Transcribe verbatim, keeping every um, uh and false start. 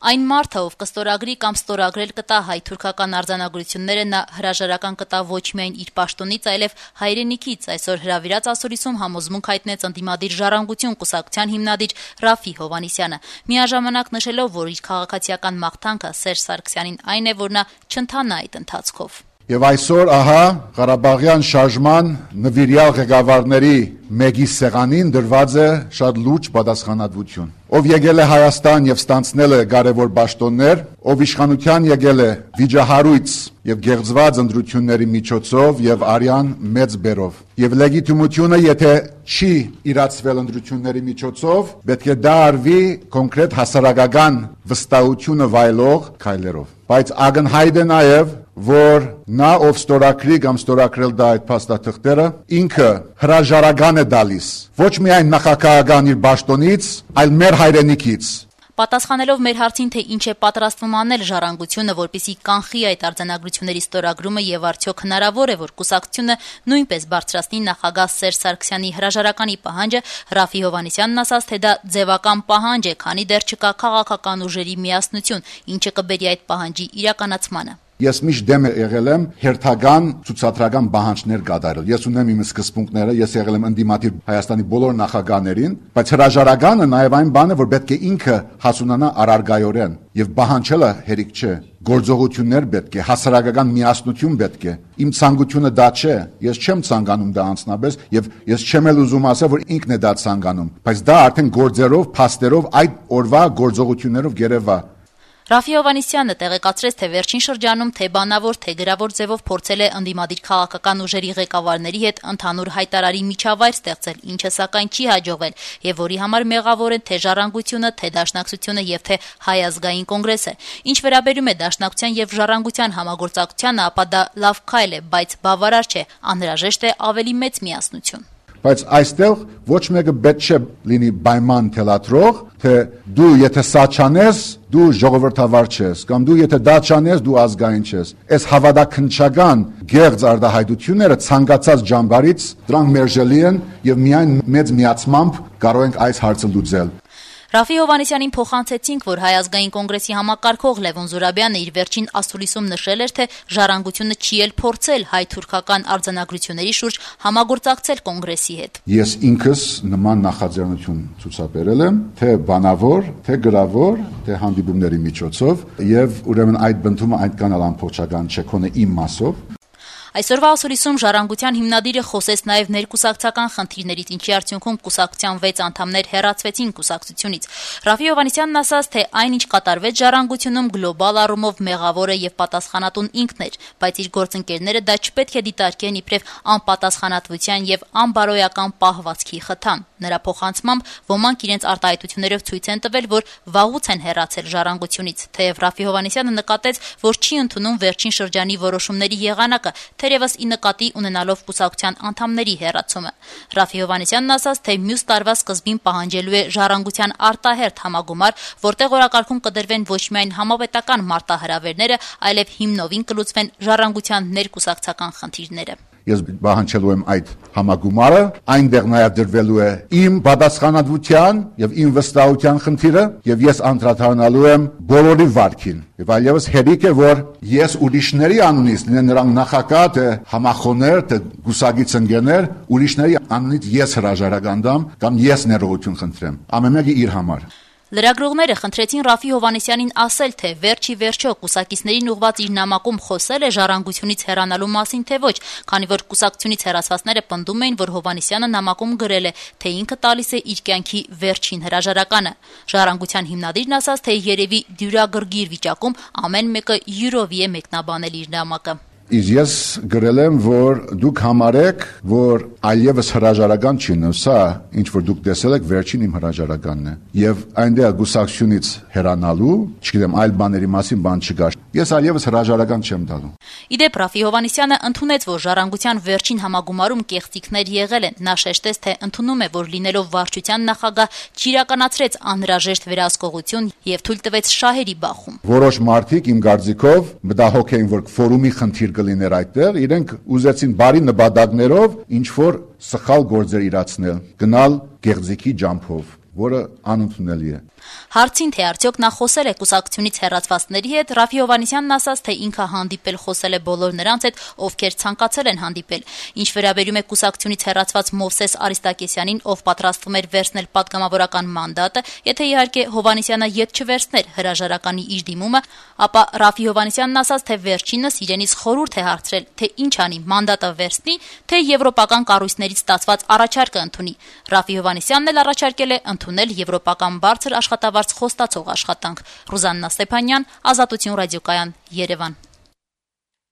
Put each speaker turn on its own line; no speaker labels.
Այն մարդը, ով կստորագրի կամ ստորագրել կտա հայ-թուրքական արձանագրությունները, նա հրաժարական կտա ոչ միայն իր պաշտոնից, այլև հայրենիքից, այսօր հրավիրած ասուլիսում համոզմունք հայտնեց ընդդիմադիր «Ժառանգություն» կուսակցության հիմնադիր Ռաֆի Հովհաննիսյանը, միաժամանակ նշելով, որ իր քաղաքացիական մաղթանքը Սերժ Սարգսյանին այն է, որ նա չընթանա այդ ընթացքով։
Եվ այսօր ահա Ղարաբաղյան շարժման նվիրյալ ղեկավարների մեկի սեղանին դրված է շատ լուրջ պատասխանատվություն, ով եկել է Հայաստան եւ ստանցնել է կարևոր պաշտոններ, ով իշխանության եկել է վիճահարույց եւ գեղձված ընտրությունների միջոցով եւ արյան մեծ բերով, եւ լեգիտիմությունը, եթե չի իրացվել ընտրությունների միջոցով, պետք է դա արվի կոնկրետ հասարակական վստահությունը վայելող քայլերով, բայց ակնհայտ է նաեւ, որ նա ով ստորագրի կամ ստորագրել դա այդ փաստաթղթերը, ինքը հրաժարական է տալիս ոչ միայն նախագահական իր պաշտոնից, այլ մեր հայրենիքից։
Պատասխանելով մեր հարցին, թե ինչ է պատրաստվում անել «Ժառանգությունը», որպեսզի կանխի այդ արձանագրությունների ստորագրումը եւ արդյոք հնարավոր է, որ կուսակցությունը նույնպես բարձրացնի նախագահ Սերժ Սարգսյանի հրաժարականի պահանջը, Ռաֆի Հովհաննիսյանն ասաց, թե դա ձևական պահանջ է, քանի դեռ չկա քաղաքական ուժերի միասնություն, ինչը կբերի այդ պահանջի իրականացմանը։
Ես միշտ դեմ եղել եմ հերթական ցուցադրական պահանջներ կատարել։ Ես ունեմ իմ սկզբունքները, ես եղել եմ ընդդիմադիր Հայաստանի բոլոր նախագահներին, բայց հրաժարականը նաև այն բանը, որ պետք է ինքը հասունանա առարգայորեն եւ պահանջելը հերիք չէ։ Գործողություններ պետք է, հասարակական միասնություն պետք է։ Իմ ցանկությունը դա չէ։ Ես չեմ ցանկանում դա անձնապես եւ ես չեմ էլ ուզում ասել, որ ինքն է դա ցանկանում, բայց դա արդեն գործերով, փաստերով, այդ օրվա գործողություններով գերեվա։
Ռաֆի Հովհաննիսյանը տեղեկացրեց, թե վերջին շրջանում թե բանավոր, թե գրավոր ձևով փորձել է ընդդիմադիր քաղաքական ուժերի ղեկավարների հետ ընդհանուր հայտարարի միջավայր ստեղծել, ինչը սակայն չի հաջողվել, եւ որի համար մեղավոր են թե Ժառանգությունը, թե Դաշնակցությունը եւ թե Հայ ազգային կոնգրեսը։ Ինչ վերաբերում է Դաշնակցության եւ Ժառանգության համագործակցությանը, ապա դա լավ քայլ է, բայց բավարար չէ, անհրաժեշտ է ավելի մեծ միասնություն։
Բայց այստեղ ոչ մեկը պետք չէ լինի պայման թելադրող, թե դու եթե սա չանես, դու ժողովրդավար չես, կամ դու եթե դա չանես, դու ազգային չես։ Այս հավատաքննչական գեղձ արտահայտությունները ցանկացած ճամբարից դրանք մերժելի են եւ միայն մեծ միացմամբ կարող ենք այս հարցը լուծել։
Ռաֆի Հովհաննիսյանին փոխանցեցինք, որ Հայ ազգային կոնգրեսի համակարգող Լևոն Զուրաբյանը իր վերջին ասուլիսում նշել էր, թե Ժառանգությունը չի էլ փորձել հայ-թուրքական արձանագրությունների շուրջ համագործակցել կոնգրեսի հետ։
Ես ինքս նման նախաձեռնություն ցուցաբերել եմ, թե բանավոր, թե գրավոր, թե հանդիպումների միջոցով, եւ ուրեմն այդ բնդումը այդքան էլ ամբողջական չէ, քոնե իմ մասով։
Այսօրվա ասուլիսում Ժառանգության հիմնադիրը խոսեց նաև ներկուսակցական խնդիրներից, ինչի արդյունքում կուսակցության վեց անդամներ հեռացվեցին կուսակցությունից։ Ռաֆի Հովհաննիսյանն ասաց, թե այնինչ կատարվեց Ժառանգությունում գլոբալ առումով մեղավորը եւ պատասխանատուն ինքն էր, բայց իր գործընկերները դա չպետք է դիտարկեն իբրև անպատասխանատվության եւ անբարոյական պահվածքի խթան։ Նրա փոխանցմամբ ոմանք իրենց արտահայտություններով ցույց են տվել, որ վաղուց են հեռացել Ժառանգությունից, թեև Ռաֆի Հովհաննիսյանը նկատեց, որ չի ընդունում վերջին շրջանի որոշումների եղանակը, թերևս ի նկատի ունենալով կուսակցության անդամների հեռացումը։ Ռաֆի Հովհաննիսյանն ասաց, թե մյուս տարվա սկզբին պահանջելու է Ժառանգության արտահերթ համագումար, որտեղ օրակարգում կդրվեն ոչ միայն համապետական մարտահրավերները, այլև հիմնովին կլուծվեն Ժառանգության ներկուսակցական խնդիրները։
Ես պահանջելու եմ այդ համագումարը, այնտեղ նաև դրվելու է իմ պատասխանատվության եւ իմ վստահության խնդիրը, եւ ես անդրադառնալու եմ բոլորի վարքին։ Եվ այլևս հերիք է, որ ես ուրիշների անունից, լինեն նրանք նախագահ, թե համախոհներ, թե գուսագից ընկերներ, ուրիշների անունից ես հրաժարական տամ կամ ես ներողություն խնդրեմ։ Ամեն մեկը իր համար։
Լրագրողները խնդրեցին Ռաֆի Հովհաննիսյանին ասել, թե վերջի վերջո կուսակիցներին ուղված իր նամակում խոսել է Ժառանգությունից հեռանալու մասին, թե ոչ, քանի որ կուսակցությունից հեռացվածները պնդում էին, որ Հովհաննիսյանը նամակում գրել է, թե ինքը տալիս է իր կյանքի վերջին հրաժարականը։ Ժառանգության հիմնադիրն ասաց, թե երևի դյուրագրգիռ վիճակում ամեն մեկը յուրովի է մեկնաբանել իր նամակը։
Իսկ ես գրել եմ, որ դուք համարեք, որ այլևս հրաժարական չի, սա ինչ որ դուք տեսել եք վերջին իմ հրաժարականն է։ Եվ այնտեղ գուսակցությունից հեռանալու, չգիտեմ, այլ բաների մասին բան չկա։ Ես այլևս հրաժարական չեմ տալու։
Իդեպ Ռաֆի Հովհաննիսյանը ընդունեց, որ Ժառանգության վերջին համագումարում կեղծիքներ եղել են։ Նա շեշտեց, թե ընդունում է, որ լինելով վարչության նախագահ չիրականացրեց անհրաժեշտ վերահսկողություն եւ թույլ տվեց շահերի բախում։
Որոշ մարդիկ իմ կարծիքով մտահոգ էին, որ ֆորումի խնդիր կլիներ այդտեղ, իրենք ուզեցին բարի նպատակներով ինչ որ սխալ գործեր իրացնել, գնալ գեղձիկի ջամփով։ որը անընդունելի է։
Հարցին, թե արդյոք նա խոսել է կուսակցությունից հեռացվածների հետ, Ռաֆի Հովհաննիսյանն ասաց, թե ինքը հանդիպել խոսել է բոլոր նրանց հետ, ովքեր ցանկացել են հանդիպել։ Ինչ վերաբերում է կուսակցությունից հեռացված Մովսես Արիստակեսյանին, ով պատրաստվում էր վերցնել պատգամավորական մանդատը, եթե իհարկե Հովհաննիսյանը ետ չվերցներ հրաժարականի իր դիմումը, ապա Ռաֆի Հովհաննիսյանն ասաց, թե վերջինս իրենից խորհուրդ է հարցրել, թե ինչ անի՝ մանդատը վերցնի, թե եվրոպական կառույցներից ստացված առաջարկը ընդունի։ Ռաֆի Հովհաննիսյանն էլ առաջարկել է ընդունել եվրոպական բարձր աշխատավարձ խոստացող աշխատանք։ Ռուզաննա Ստեփանյան, Ազատություն ռադիոկայան, Երևան։